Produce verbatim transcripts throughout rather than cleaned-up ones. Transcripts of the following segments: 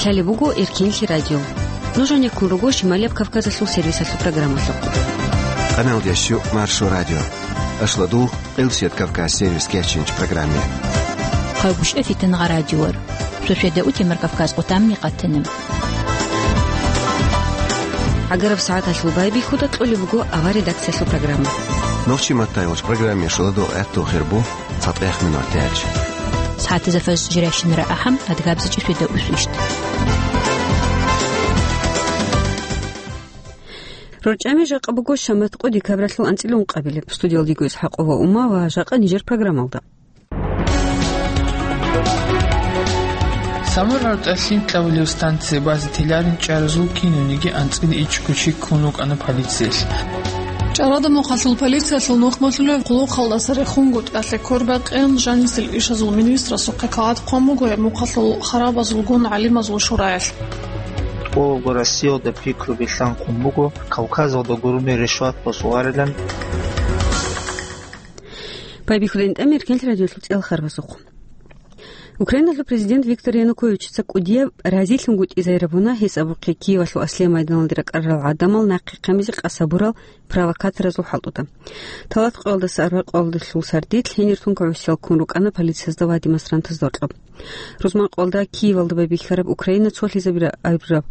Лъалеб буго Эркенлъи радио. Нуж гьанеккун руго Шималияб Кавказалъул сервисалъул программалъухъ. Къаналдияс щу Маршо радио. Ашладул Къилсият Кавказ сервис кечинч программе. Хъагушев Фитнагъа радиор. Суседа утемар Кавказ къутамни къатанам. ГӀагараб сагӀаталъул байбихьуда кьолеб буго авар редакциялъул программа. Нохчи маттайгъуч программе шуладул гӀатту хирбу. ЦатӀехъ минутач. СагӀатазда фажр жиращинара ахӀам, адгабзичӀи суда усвищт. РорчӀами жакъа буго шамат къо декабралъул анцӀила ункъабилеб. Студиялдего Исхакъова Ума ва жакъа нижер программалда. Самур рортӀа лъим кьабулев станция базе теларин чӀаразул кинониги анцӀила ичӀго чи ккун рукӀана полициялъ. ЧӀарада мухъалъул полициялъул нухмалъулев къулухъалдаса рехунгутӀиялъе квербакъин жанисел ишазул министрасухъе кагъат хъван буго гьеб мухъалъул харабазулгун гӀалимазул шураялъ. ТӀолго Россиялда пикру билълъанхъун буго Кавказалда гурони решват босуларилан. Байбихьудин тӀамир кенлъ радиолъул цӀел харбазухъ. Украиналъул президент Виктор Януковичица кӀудияб разилъунгутӀизайрабуна гьес абухъе Киевалъул аслияб майданалде ракӀарарал гӀадамал нахъе хъамизе къасабурал провокаторазул хӀалтӀуда. Талат къоялдаса арба къоялдалъул сардилъ гьенир тункагӀусиял ккун рукӀана полициязда ва демонстрантазда гьоркьоб. Рузман къоялда Киевалда байбихьараб Украина цолъизабира абураб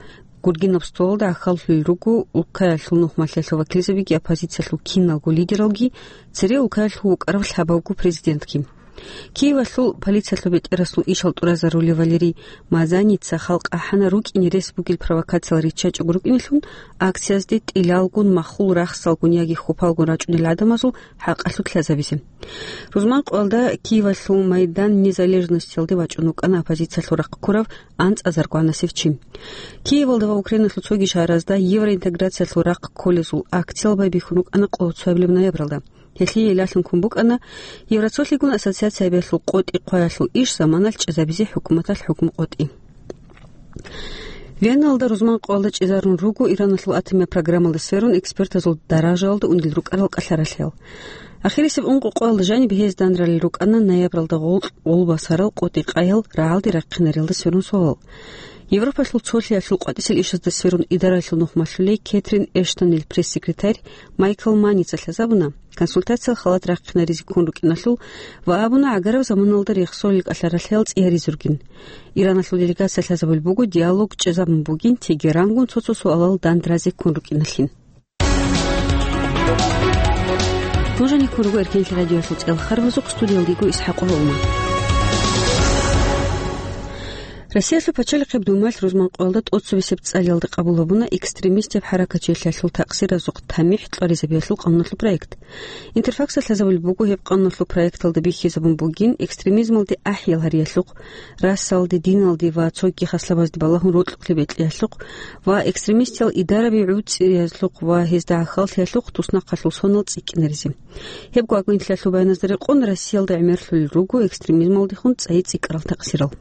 гургинаб столалда гӀахьаллъулел руго улкаялъул нухмалъиялъул вакилзабиги, оппозициялъул киналго лидералги, цере улкаялъул вукӀарав лъабавго президентги. Киевалъул полициялъул бетӀерасул ишал тӀуразарулев Валерий Мазаница халкъ ахӀана рукӀине рес бугел провокациял риччачӀого рукӀинелъун, акциязде тӀилалгун махул рахсалгун яги хьупалгун рачӀунел гӀадамазул хӀакъалъулъ лъазабизе. Рузман къоялда Киевалъул Майдан Незалежностиялде вачӀун вукӀана оппозициялъул рахъ ккурав анцӀазар гванасев чи. Киевалда ва Украиналъул цоги шагьаразда евроинтеграциялъул рахъ кколезул акциял байбихьун рукӀана къоло цоябилеб ноябралда. Гьелъие илалъун ккун букӀана Евроцолъигун ассоциациябиялъул къотӀи хъваялъул иш заманалъ чӀезабизе хӀукуматалъ хӀукму къотӀи. Веналда рузман къоялда чӀезарун руго Ираналъул атомияб программалда сверун экспертазул даражаялда ундел рукӀарал кӀалъаралъиял. Ахирисеб ункъо къоялда жаниб гьез данралел рукӀана ноябралда гъолкь гъулбасарал къотӀи къаял рагӀалде рахъинарелда сверун суалал. Европалъул цолъиялъул къватӀисел ишазда сверун идаралъул нухмалъулей Кетрин Эштонил пресс-секретарь Майкл Маница лъазабуна, консультациял халат рахъинаризе ккун рукӀиналъул ва абуна гӀагараб заманалда рехсолел кӀалъаралъиял цӀияризургин. Ираналъул делегация лъазабулеб буго диалог чӀезабун бугин Тегерангун цо-цо суалал дандразе ккун рукӀиналъин. Нуж гьанеккун руго Эркенлъи радиоялъул цӀел харбазухъ, студиялдего Исхакъова Ума. Россиялъул пачалихъеб Думаялъ рузман къоялда тӀоцебесеб цӀалиялда къабул гьабуна экстремистаб хӀаракатчилъиялъул такъсиразухъ тамихӀ кьваризабиялъул къануналъул проект. Интерфаксалъ лъазабулеб буго гьеб къануналъул проекталда бихьизабун бугин экстремизмалде ахӀиял гьариялъухъ, расалде, диналде ва цоги хаслабазде балагьун рокьулъе бекьиялъухъ ва экстремистиял идараби гӀуцӀиязлъухъ ва гьезда гӀахьаллъиялъухъ туснахъалъул сонал цӀикӀкӀинаризе. Гьебго агенталъул баяназда рекъон, Россиялда гӀемерлъулел руго экстремизмалдехун цӀайи цӀикӀкӀарал такъсирал.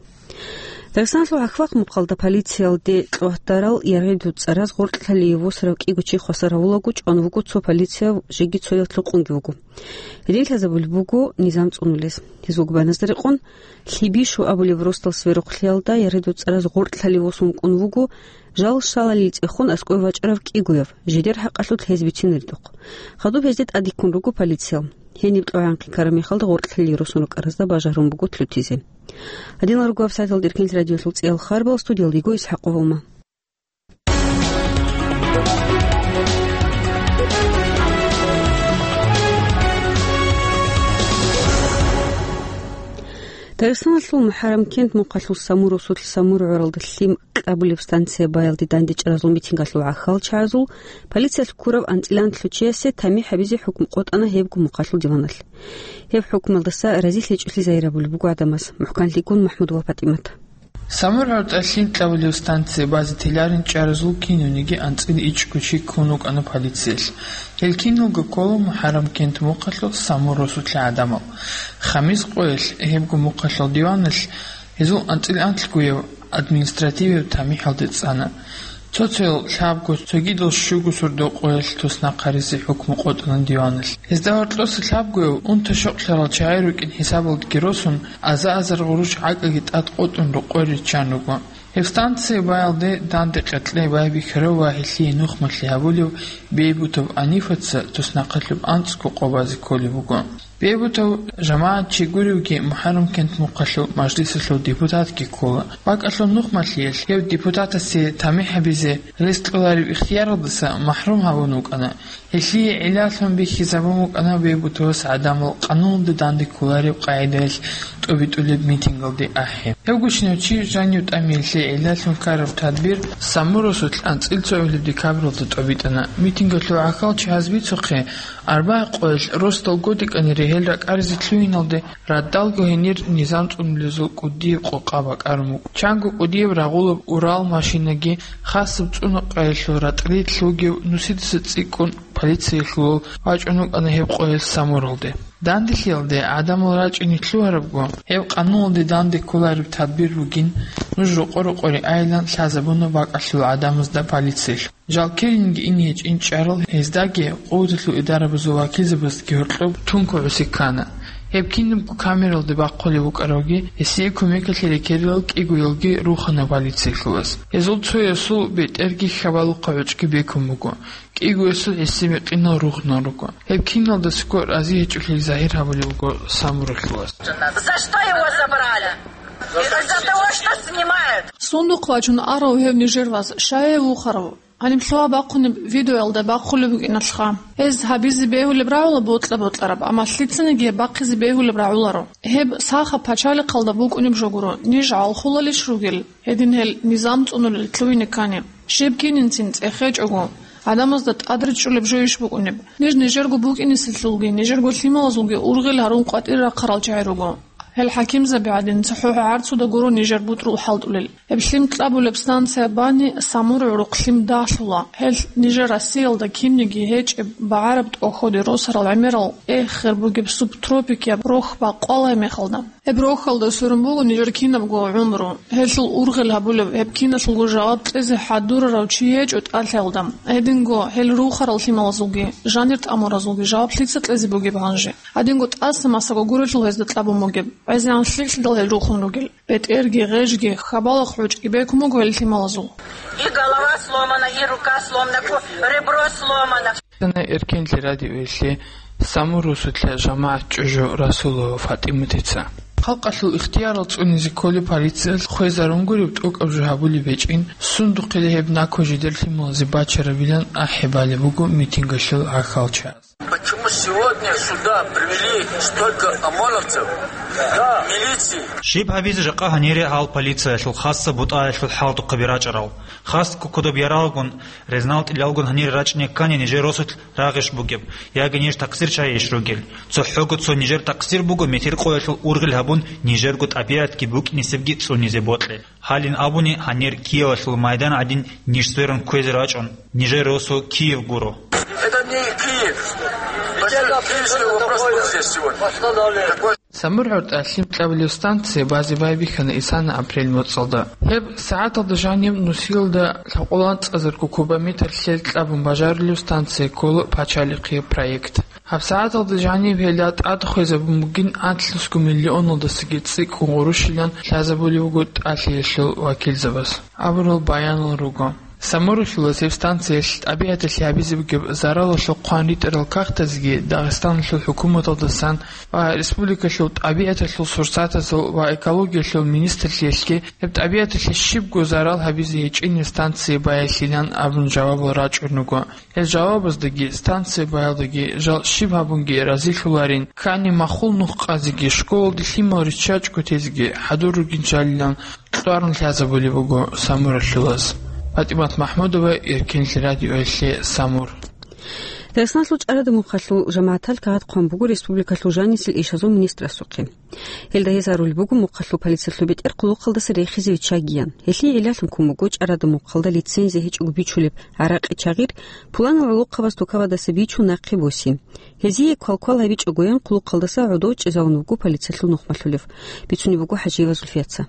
Дагъистаналъул Ахвакъ-Мухъалда полициялде кьватарал яргъиду цӀараз гъоркьлъалие восарав кӀиго чи хвасар гьавулаго чӀван вуго цо полицияв, жеги цояв лъукъунги вуго. Гьедин лъазабулеб буго низам цӀунулес. Гьезулго баяназда рекъон, Лъибишу абулеб росдал сверухълъиялда яргъиду цӀараз гъоркьлъалие восун вукӀун вуго жал щалалил цӀехун аскӀове вачӀарав кӀигояв, жидер хӀакъалъулъ гьез бицинаридухъ. Хадуб гьезде тӀадиккун руго полициял. Гьениб тӀогӀан хъикараб мехалда гъоркьлъалие росун рукӀаразда бажарун буго лъутизе. Гьадинал руго вебсайталда Эркенлъи радиоялъул цӀиял харбал, студиялдего Исхакъова Ума. Дагъистаналъул МухӀаррамкент мухъалъул Самур росулъ Самур гӀуралда лъим кьабулеб станция баялде дандечӀаразул митингалъул гӀахьалчагӀазул полициялъ ккурав анцӀила анлъучиясе тамихӀ гьабизе хӀукму къотӀана гьебго мухъалъул диваналъ. Гьеб хӀукмалдаса разилъичӀолъи загьирабулеб буго гӀадамаз. МухӀканлъигун Махмудова ПатӀимат. Самур гӀуртӀа лъим кьабулев станция базе теларин чӀаразул кинониги анцӀила ичӀго чи ккун рукӀана полициялъ. Гьел киналго ккола МухӀаррамкент мухъалъул Самур росулъа гӀадамал. Хамис къоялъ гьебго мухъалъул диваналъ гьезул анцӀила анлъгояв административияб тамихӀалде цӀана. Цо-цоял лъабго, цогидал щуго сордо къоялъ туснахъ гьаризе хӀукму къотӀана диваналъ. Гьезда гьоркьоса лъабгояв унта-щокълъарал чагӀи рукӀин хӀисабалдеги росун, аза-азар гъурущ гӀакӀаги тӀад къотӀун рокъой риччан руго. Гьеб станцияялде данде къеркьей байбихьарав ва гьелъие нухмалъи гьабулев Бейбутов Анифаца туснахъалъуб анцӀго къо базе кколеб буго. Бейбутов жамагӀат чи гуревги МухӀаррамкент мухъалъул мажлисалъул депутатги ккола. БакӀалъул нухмалъиялъ гьев депутатасе тамихӀ гьабизе рес кьолареб ихтияралдаса махӀрум гьавун вукӀана. Гьелъие гӀиллалъун бихьизабун букӀана Бейбутовас гӀадамал къануналда данде кколареб къагӀидаялъ тӀобитӀулеб митингалде ахӀи. Гьев гучинав чи жанив тӀамиялъе гӀиллалъун ккараб тадбир Самурасулъ анцӀила цогӀабилеб декабралда тӀобитӀана. Митингалъул гӀахьалчагӀаз бицухъе, арбагӀи къоялъ росдал годекӀанире гьел ракӀаризе лъугьиналде, радалго гьенир низам цӀунулезул кӀудияб къокъа бакӀарун буго. Чанго кӀудияб рагъулаб Урал машинаги, хасаб цӀунакъаялъул ратӀлиялъ вугев нусидаса цӀикӀкӀун полициялъулал вачӀун вукӀана гьеб къоялъ Самуралде. Данделъиялде гӀадамал рачӀине лъугьарабго, гьеб къануналде данде кколареб тадбир бугин, нуж рокъо-рокъоре айилан лъазабуна бакӀалъул гӀадамазда полициялъ. Жал килинги ине гьечӀин чӀарал гьездаги, къуваталъул идарабазул вакилзабаздаги гьоркьоб тункугӀуси ккана. Гьеб кинабго камералде бахъулеб букӀаравги, гьесие кумекалъе рекерилал кӀигоялги рухана полициялъулас. Гьезул цоясул бетӀерги хьабалухъа гӀучӀги бекун буго, кӀигоясул гьесие мекъинал рухнал руго. Гьеб киналдасаго рази гьечӀолъи загьир гьабулеб буго Самуралъулас. За что его забрали? Это из-за того, что снимают. Сундухъ вачун арав гьев нижер вас, щай гьев вухарав? Гьаниб лъугьа-бахъунеб видеоялда бахъулеб букӀиналъха. Гьез гьабизе бегьулеб рагӀула бокьа-бокьараб, амма лъицаниги гьеб бахъизе бегьулеб рагӀуларо. Гьеб сахаб пачалихъалда букӀунеб жо гуро, ниж гӀалхулалищ ругел, гьедин гьел низам цӀунулел лъугьине ккани. Щиб кининцин цӀехечӀого, гӀадамазда тӀадричӀчӀулеб жойищ букӀунеб? Ниж нижерго букӀинеселъулги, нижерго лъималазулги ургъел гьарун къватӀир рахъарал чагӀи руго. Гьел хӀакимзаби гӀадин, цохӀо гӀарцуда гуро нижер бутӀрул хӀалтӀулел. Гьеб лъим кьабулеб станция бани Самур гӀурухъ лъим далъула. Гьел нижер Россиялда кинниги гьечӀеб багӀараб тӀохьоде росарал гӀемерал эхер бугеб субтропикияб рохь бакъвала гьеб мехалда. Гьеб рохьалда сверун буго нижер кинабго гӀумру. Гьелъул ургъел гьабулеб, гьеб киналъулго жаваб кьезе хӀадурарав чи гьечӀо тӀалъиялда. Гьединго гьел рухарал лъималазулги, жанир тӀамуразулги жаваб лъица кьезе бугеб гьанже? Гьадинго тӀаса масаго гурелъул гьезда кьабун бугеб, гӀезегӀан лъикӀлъидал гьел рухун ругел. БетӀерги, гъежги, хабалахъ гӀучӀги бекун буго гьел лъималазул. И голова сломана, и рука сломана, ко-, ребро сломано. Эркенлъи радиоялъе Самур росулъа жамагӀат чӀужу Расулова ФатӀиматица. Халкъалъул ихтиярал цӀунизе кколеб полициялъ хвезарун гуреб тӀокӀаб жо гьабулеб гьечӀин, сундухъе гьеб накӀкӀо жидер лъималазе бачарабилан ахӀи балеб буго митингалъул гӀахьалчагӀаз. Почему сегодня сюда привели столько ОМОНовцев, милиции? Щиб гьабизе жакъа гьанире гьал полициялъул хасса бутӀаялъул хӀалтӀухъаби рачӀарал? Хас кукудаб яралгун, резнал тӀилалгун гьанире рачӀине ккани нижер росулъ рагъищ бугеб, яги ниж такъсирчагӀейищ ругел? ЦохӀого цо нижер такъсир буго метер къоялъул ургъел гьабун, нижерго тӀабигӀатги букӀинисебги цӀунизе бокье. Гьалин абуни, гьанир Киевалъул майдан гӀадин ниж сверун кквезе рачӀун, нижер росу Киев гуро. Это не Киев. Киевский вопрос вот здесь сегодня. Самур гӀортӀа лъим кьабулеб станция базе байбихьана исана апрель моцӀалда. Гьеб сагӀаталда жаниб нусилда лъабкъоялда анцӀазарго кубометр лъел кьабун бажарулеб станция ккола пачалихъе проект. ГьабсагӀаталда жаниб гьелда тӀад хвезабун бугин анлънусго миллионалдасаги цӀикӀкӀун гъурущилан лъазабулеб буго тӀалъиялъул вакилзабаз абурал баянал руго. Самур росулас гьеб станциялъ тӀабигӀаталъе гьабизе бугеб заралалъул хъван ритӀарал кагътазги Дагъистаналъул хӀукуматалдасан ва республикалъул тӀабигӀаталъул сурсатазул ва экологиялъул министрлъиялъги гьеб тӀабигӀаталъе щибго зарал гьабизе гьечӀин станция баялъилан абун жавабал рачӀун руго. Гьел жавабаздаги, станция баялдаги жал щиб гьабунги разилъуларин, ккани махул нух къазеги, школалде лъимал риччачӀго тезеги хӀадур ругин жалилан кьварун лъазабулеб буго Самур росулас. ПатӀимат МахӀмудова, Эркенлъи радиоялъе, Самур. Дагъистаналъул ЧӀарада мухъалъул жамагӀатал кагъат хъван буго республикалъул жанисел ишазул министрасухъе. Гьелда гьез арулеб буго мухъалъул полициялъул бетӀер хъулухъалдаса рехизе виччагиян. Гьелъие гӀиллалъун ккун буго ЧӀарада мухъалда лицензия гьечӀого бичулеб гӀаракъи чагъир, пуланал гӀолохъабаз тукавадаса бичун нахъе босин. Гьезие квалквал гьабичӀогоян хъулухъалдаса гӀодов чӀезавун вуго полициялъул нухмалъулев, бицунеб буго ХӀажиева Зульфияца.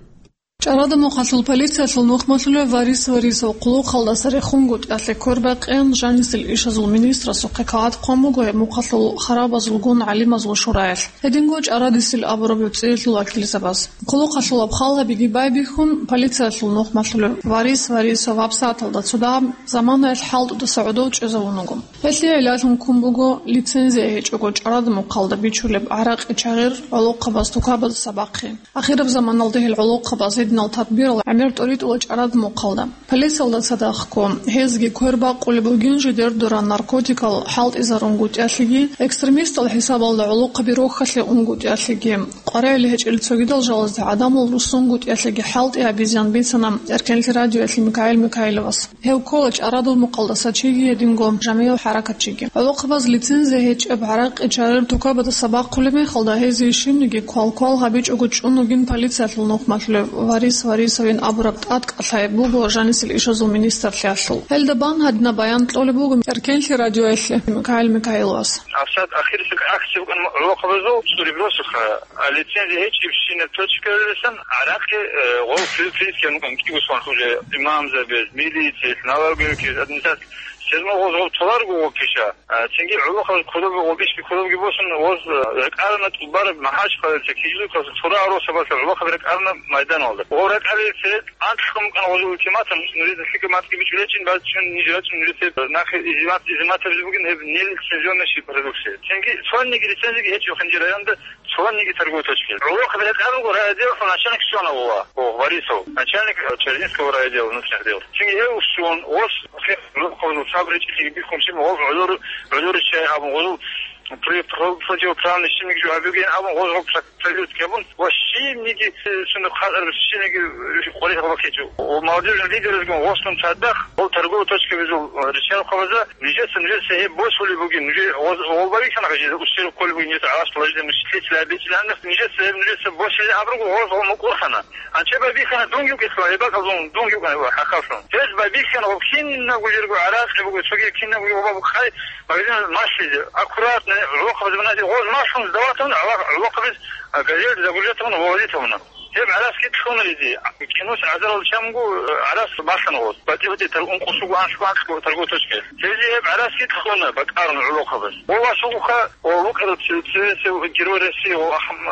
ЧӀарадамухъалъул полициялъул нухмалъулев Варис Варисов хъулухъалдаса рехунгутӀиялъе квербакъин жанисел ишазул министрасухъе кагъат хъван буго гьеб мухъалъул харабазулгун гӀалимазул шураялъ. Гьединго ЧӀарадисел абураб гӀуцӀиялъул вакилзабаз. Хъулухъалъулаб хал гьабиги байбихьун, полициялъул нухмалъулев Варис Варисов гьабсагӀаталда цо дагьаб заманаялъ хӀалтӀудаса гӀодов чӀезавун вуго. Гьелъие гӀиллалъун ккун буго лицензия гьечӀого чӀарадамухъалда бичулеб гӀаракъи чагъир гӀолохъабаз тукабазаса бахъи. Ахираб заманалда гьел гӀолохъабаз гьединал тадбирал гӀемер тӀоритӀула чӀарадамухъалда. Полициялда цадахъго, гьезги квер бакъулеб бугин жидер дора наркотикал хӀалтӀизарунгутӀиялъеги, экстремистал хӀисабалда гӀолохъаби рохьалъе унгутӀиялъеги, къваригӀел гьечӀел цогидал жалазда гӀадамал руссунгутӀиялъеги хӀалтӀи гьабизеян бицана Эркенлъи радиоялъе Микаил Микаиловас. Гьев ккола чӀарадамухъалдаса чиги гьединго жамигӀ хӀаракатчиги. ГӀолохъабаз лицензия гьечӀеб гӀаракъи чагъир тукабазаса бахъулеб мехалда, гьезие щибниги квал-квал гьабичӀого чӀун вугин полициялъул нухмалъулев Варис Варисовин абураб тӀадкӀалъай буго жанисел ишазул министрлъиялъул. Гьелда бан гьадинаб баян кьолеб буго Эркенлъи радиоялъе Микаил Микаиловас. ГьабсагӀат ахирисеб акция букӀана гӀолохъабазул цӀури бросуха. А лицензия гьечӀебщинаб точкаялдасан гӀаракъи, э, гъов при-, приискиван вукӀан кӀиго сон уже имамзабаз, милициялъ, налоговикияс, администрация. Сезмал гъоз гъов толарго гъов пиша. А, цинги гӀолохъабаз кодобги гъов бищги кодобги босун, гъоз, э, ракӀарана тӀубараб МахӀачхъалаялъа, Кизилюрталъа, цо рагӀ росабалъа гӀолохъаби ракӀарана майданалда. Гъов ракӀарилан церед анлъго букӀана гъозул ультиматум, нужеда лъикӀаб мацӀги бичӀчӀулечӀин, бачӀун ниж рачӀун, нужеца нахъе изимат-, изиматабизе бугин гьеб нелицензионный продукция. Цинги цониги лицензиги гьечӀо Хинжи районда. Цониги торговой точкаялъ. ГӀолохъаби ракӀарулго райотделалъул начальник щвана гъова, о, Варисов, начальник, э, Чердинского райотдела внутренних дел. Цинги гьев щун, гъос гӀолохъабазул сабричӀлъиги бихьун щиб, гъов гӀолор-, гӀолоричай абун, гъозул при-, про-, противоправный щибниги жо гьабиген абун, гъоз гъоб проверка гьабун, ва щибниги, э, цунда хъатӀараб щибниги, э, къваригӀел бахъичӀо. Ва молодёжный лидерзгун гъослъун цадахъ, гъол торговой точкабазул, э, ричарухъабазда, нижеца, нижеца гьеб босулеб бугин, нужер гъоз-, гъол барихьана, жеда ущерб кколеб бугин, нижеца гӀалаш положение мучитель абичӀилан, нижеца гьеб, нижеца босилин абруго, гъоз гъол мукӀурхана. Анча байбихьана дун юкӀилъун, гьеб бакӀалдун дун юкӀан гьеб хӀакъалъун. Гьез байбихьана гъоб кинабго жирго гӀаракъи буго, цоги кинабго гъоб хъай магазин малъизе. Аккуратно, гӀолохъабаз ваназе гъоз малъун сдаватун, гӀолохъабаз, а, газель загружать гьабун, вывозить гьабуна. Гьеб гӀарац китлъуна гьезие. Кинус гӀазарал чамгу гӀарац бахана гъоз. БатӀи-батӀи тар-, ункъусугу анлъго-анлъго торговой точкаялъ. Гьезие гьеб гӀарац китлъуна бакӀарун гӀолохъабаз. Гъов васугъуха, гъов вукӀарав ци-, ци-, ци-, Герой России гъов Ахм-,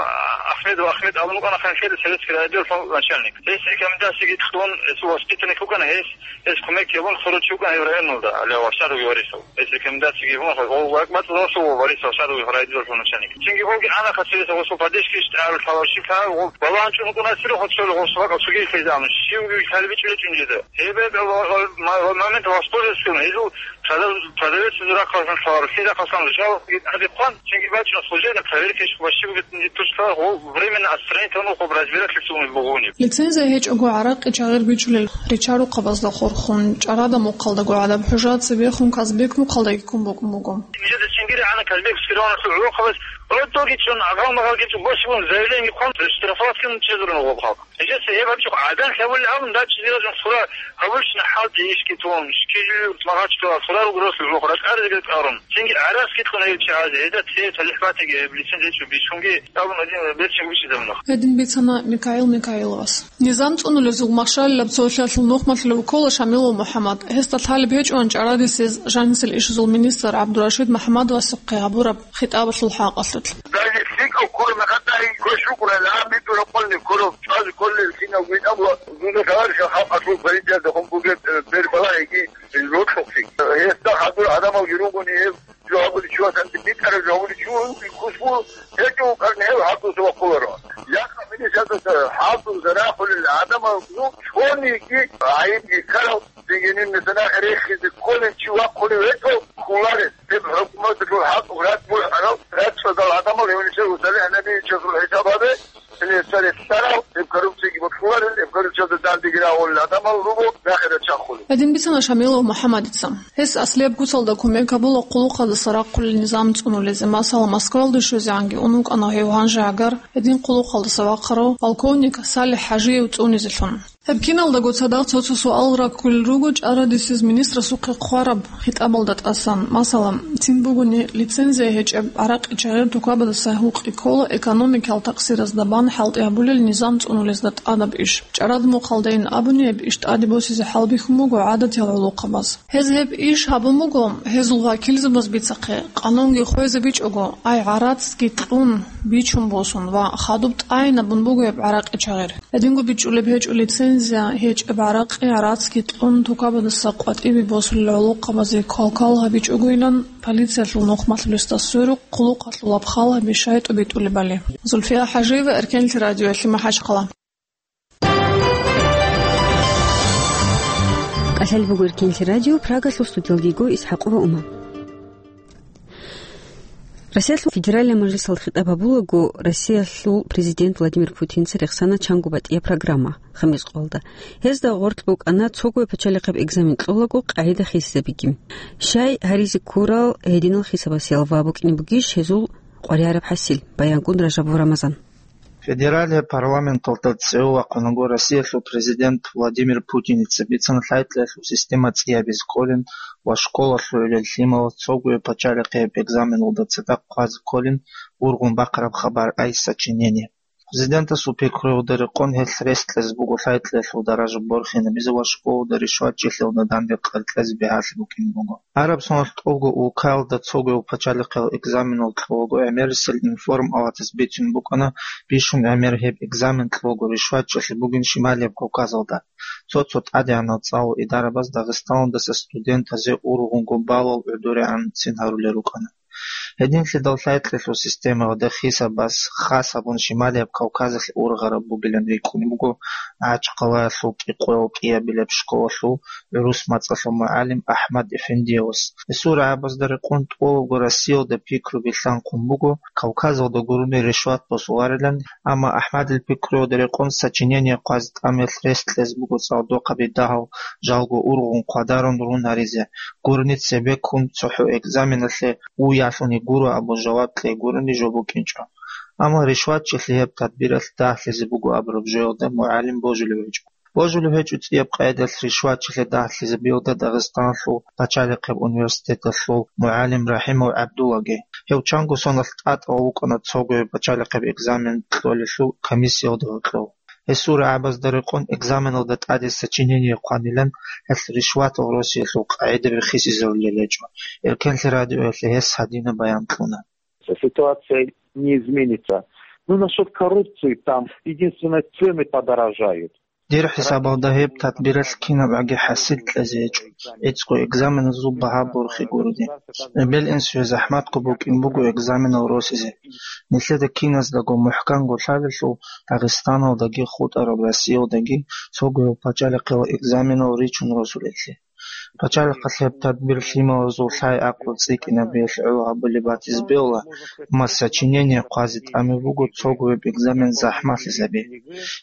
Ахмедов Ахмед абун вукӀана ханлъиялда советский райотделалъул начальник. Гьес рекомендацияги кьун, гьесул воспитанник вукӀана гьес. Гьес кумек гьабун хуручи вукӀана гьев районалда, гьале Варшаровги Варисов. Гьес рекомендацияги гьабун, гъов вакъ бацӀцӀадасул ва Варисов Варшаровги райдиналъул начальник. Цинги гъовги ана хасилиса гъосул поддержкаялъ тӀагӀарулъ гьалав щиб лъала, гъов балагьанчӀун вукӀуна, цӀирахъ цо гъосул вакъа цоги хӀезамун, щивги лъалебичӀулечӀун жеда. Гьеб ва-, ва-, ва-, ма-, ва момент воспользоваться гьезул продав-, продавец рахъалъан лъала, лъил рахъалъан жал гьадихъан, цинги бачӀун служебно проверка иш ва щивги тушла, гъов временно отстранить гьанухъуб разбирательство бугъуни. Лицензия гьечӀого гӀаракъи чагъир бичулел ричарухъабазда хурхун, чӀарадамухъалдаго гӀадаб хӀужа цебехун Казбекмухъалдаги ккун букӀун буго. Нижеда чингири гӀана Казбек Скироновлъул гӀолохъабаз гӀодоги чӀун, агъал-магъалги чӀун, босигун заявление хъван, штрафовать ккун чӀезарун гъоб халкъ. Нижеца гьеб гьабичӀо гӀадан лъавулел абун, дачӀизеразун сура гьабулщина хӀалтӀи ишги тун, шкижи магъачтула сура ругрос гӀолохъ ракӀаризеги ракӀарун. Цинги гӀарац китлъун гьев чагӀазе, гьезда цее талихӀ батиги гьеб лицензия бичӀчӀунги абун гьедин берцин вичӀизабуна. Гьедин бицана Микаил Микаиловас. Низам цӀунулезул машгьалилаб цолъиялъул нухмалъулев ккола Шамилов МухӀаммад. Гьесда лъалеб гьечӀоан чӀарадисез жанисел ишазул министр ГӀабдурашид МухӀаммадовасухъе гьабураб хитӀабалъул хӀакъалъулъ. Даже лъикӀав ккураб мехалъ дагье квеш вукӀурал, гьаб битӀураб къолни ккурав, чӀвазе кколел кинав витӀабула, дуда товарищал халкъалъул политикаялда хун бугеб, э, бербалагьиги рокьухълъи. Гьесда хадур гӀадамалги ругони гьев, жо гьабулев чиясанги битӀараб жо гьабулев чи вугин кусмул гьечӀо вукӀарни гьев хӀалтӀуса вахъуларо. Якъа милицаялдаса хӀалтӀузда рахулел гӀадамал цониги гӀайибги ккарал, цинги нилъеца нахъе рехизе кколев чи вахъулев гьечӀо, кколарел. Гьеб хӀукуматалъул хӀалтӀу рацӀцӀалъарал, рацӀцӀадал гӀадамал гьев нилъер усталихӀ набиячасул хӀисабалде, гьеле царе лъарал, гьеб коррупциялги бокьуларел, гьеб коррупциялда дандеги рагъулел гӀадамал руго нахъе рачахъулел. Гьедин бицана Шамилов МухӀаммадица. Гьес аслияб куцалда кумек гьабула хъулухъалдаса рахъулел низам цӀунулезе, масала, Москвалде щвезегӀанги ун вукӀана гьев гьанже гӀагар, гьедин хъулухъалдаса вахъарав полковник СалихӀ ХӀажиев цӀунизелъун. Гьеб киналдаго цадахъ цо-цо суал раккулел руго чӀарадисез министрасухъе хъвараб хитӀабалда тӀасан. Масала, цин бугони лицензия гьечӀеб гӀаракъи чагъир тукабаздаса гьукъи ккола экономикал такъсиразда бан хӀалтӀи гьабулел низам цӀунулезда тӀадаб иш. ЧӀарад мухъалдайин абуни, гьеб иш тӀаде босизе хӀалбихьун буго гӀадатиял гӀолохъабаз. Гьез гьеб иш гьабун буго, гьезул вакилзабаз бицахъе, къанунги хвезабичӀого, ай гӀарацги кьун, бичун босун ва хадуб тӀайинабун буго гьеб гӀаракъи чагъир. Гьединго бичӀчӀулеб гьечӀо лицензия гьечӀеб гӀаракъи гӀарацги кьун тукабаздаса къватӀибе босулел гӀолохъабазе квалквал гьабичӀогойилан, полициялъул нухмалъулесда сверухъ хъулухъалъул абхъал гьаби щай тӀубитӀулебали. Зульфия ХӀажиева, Эркенлъи радиоялъе, МахӀачхъала. КӀалъалеб буго Эркенлъи радио, Прагалъул студиялдего ИсхӀакъова Ума. Россиялъул Федеральный мажлисалда хитӀаб гьабулаго, Россиялъул президент Владимир Путинца рехсана чанго батӀияб программа хамис къоялда. Гьезда гъорлъ букӀана цогояб пачалихъаб экзамен кьолаго къагӀида хисизабиги. Щай гьаризе ккурал гьединал хисабасел ва букӀине бугищ гьезул къваригӀараб хӀасил? Баянкун Ражабов Рамазан. Федералияб парламенталда цӀев вахъунаго, Россиялъул президент Владимир Путиница бицана лъай-лъаялъул система цӀиябизе кколин ва школалъугӀилел лъималаз цогояб пачалихъияб экзаменалда цадахъ хъвазе кколин ургъун бахъараб хабар, ай сочинение. Президентасул пикруялда рекъон гьелъ рес кьезе буго лъай-лъаялъул даража борхинабизе ва школалда ришватчилъиялда данде къеркьезе бигьалъи букӀине буго. Араб соналъ тӀолго улкаялда цогояб пачалихъиял экзаменал кьолаго гӀемерисел информ аватас бицун букӀана бищун гӀемер гьеб экзамен кьолаго ришватчилъи бугин Шималияб Кавказалда. Цо-цо тӀадегӀанал цӀалул идарабаз Дагъистаналдаса студентазе ургъунго балал гӀодорегӀан цин гьарулел рукӀана. Гьединлъидал лъай-лъаялъул системаялда хисабас хас гьабун Шималияб Кавказалъе ургъараб бугилан рикӀкӀунеб буго МахӀачхъалаялъул кӀикъоял кӀиабилеб школалъул гӀурус мацӀалъул мугӀалим АхӀмад Эфендиевас. Гьесул рагӀабазда рекъон тӀолабго Россиялда пикруби лъанхъун буго Кавказалда гурони ришват босуларилан, амма АхӀмадил пикруялда рекъон сочинение хъвазе тӀамиялъ рес кьезе буго цӀалдохъаби дагьал, жалго ургъун хъвадарун рун гьаризе, гурони цебеккун цохӀо экзаменалъе уялъуни гуро абун жаваб кьей гурони жо букӀинчӀо. Амма ришватчилъи гьеб тадбиралъ дагьлъизе буго абураб жоялда мугӀалим божулев гьечӀо. Божулев гьечӀо цӀияб къайдалъ ришватчилъи дагьлъизабиялда Дагъистаналъул пачалихъеб университеталъул мугӀалим РахӀимов ГӀабдуллаги. Гьев чанго соналъ тӀатӀал вукӀана цогояб пачалихъеб экзамен кьолелъул комиссиялда гьоркьов. Гьесул рагӀабазда рекъон экзаменалда тӀаде сочинение хъванилан, гьелъ ришватал росиялъул къагӀидаби хисизарулел гьечӀо. Эркенлъи радиоялъе гьес гьадинаб баян кьуна. Ситуация не изменится. Ну, насчет коррупции, там единственное, цены подорожают. Дир хӀисабалда гьеб тадбиралъ кинабгӀаги хӀасил кьезе гьечӀо, гӀицӀго экзаменазул багьа борхи гурони. Эбел-инсуе захӀматго букӀин буго экзаменал росизе. Нилъеда киназдаго мухӀканго лъалелъул Дагъистаналдаги хутӀараб Россиялдаги цогояб пачалихъиял экзаменал ричун росулелъи. Пачалихъалъ гьеб тадбир лъималазул лъай-гӀакълу цӀикӀкӀинабиялъ гӀоло гьабулеб батизе бегьула, амма сочинение хъвазе тӀамиб буго цогояб экзамен захӀмалъизаби.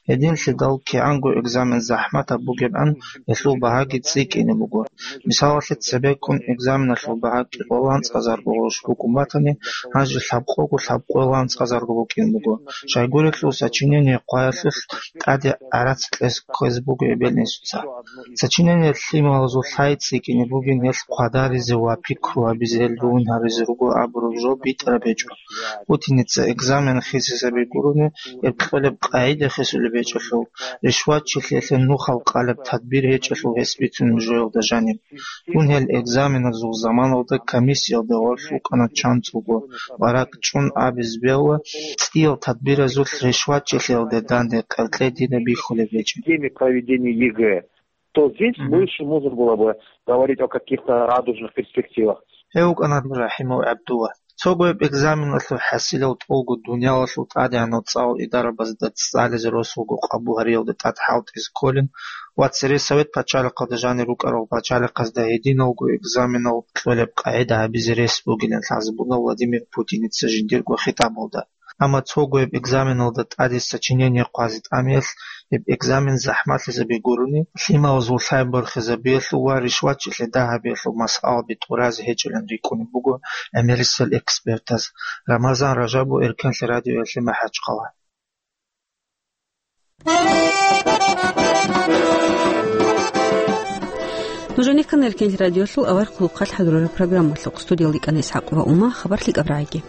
Гьединлъидал кигӀанго экзамен захӀматаб бугебгӀан, гьелъул багьаги цӀикӀкӀине буго. Мисалалъе, цебеккун экзаменалъул багьа кӀикъоялда анцӀазарго гъурущ букӀун батани, гьанже лъабкъого лъабкъоялда анцӀазарго букӀин буго. Щайгурелъул сочинение хъваялъулъ тӀаде гӀарац кьезе ккезе буго эбел-инсуца. Сочинение лъималазул лъай цӀикӀкӀине бугин гьелъ хъвадаризе ва пикру гьабизе гьел рун гьаризе руго абураб жо битӀараб гьечӀо. Путиница экзамен хисизаби гурони, гьеб кьолеб къагӀида хисулеб гьечӀелъул, ришватчилъиялъе нухал къалеб тадбир гьечӀелъул гьес бицунеб жоялда жаниб. Дун гьел экзаменазул заманалда комиссиялда гъорлъ вукӀана чанцӀулго ва ракӀчӀун абизе бегьула, цӀиял тадбиразулъ ришватчилъиялде данде къеркьей дина бихьулеб гьечӀеб. Теме проведения ЕГЭ, то здесь Мгм. больше можно было бы говорить о каких-то радужных перспективах. Гьев вукӀана РахӀимов ГӀабдулла. Цогояб экзаменалъул хӀасилал тӀолго дуниялалъул тӀадегӀанал цӀалул идарабазда цӀализе росулго къабул гьариялда тӀад хӀалтӀизе кколин ва цере Совет пачалихъалда жанир рукӀарал пачалихъазда гьединалго экзаменал кьолеб къагӀида гьабизе рес бугилан лъазабуна Владимир Путиница жиндирго хитӀабалда. Амма цогояб экзаменалда тӀаде сочинение хъвазе тӀамиялъ, гьеб экзамен захӀмалъизаби гурони, лъималазул лъай борхизабиялъул ва ришватчилъи дагьабиялъул масъалаби тӀуразе гьечӀилан рикӀкӀунеб буго гӀемерисел экспертаз. Рамазан Ражабов, Эркенлъи радиоялъе, МахӀачхъала. Нужеца ккана Эркенлъи радиолъул авар хъулухъалъ хӀадурараб программалъухъ. Студиялда ккана ИсхӀакъ ва Ума. Хабар лъикӀаб рагӀиги.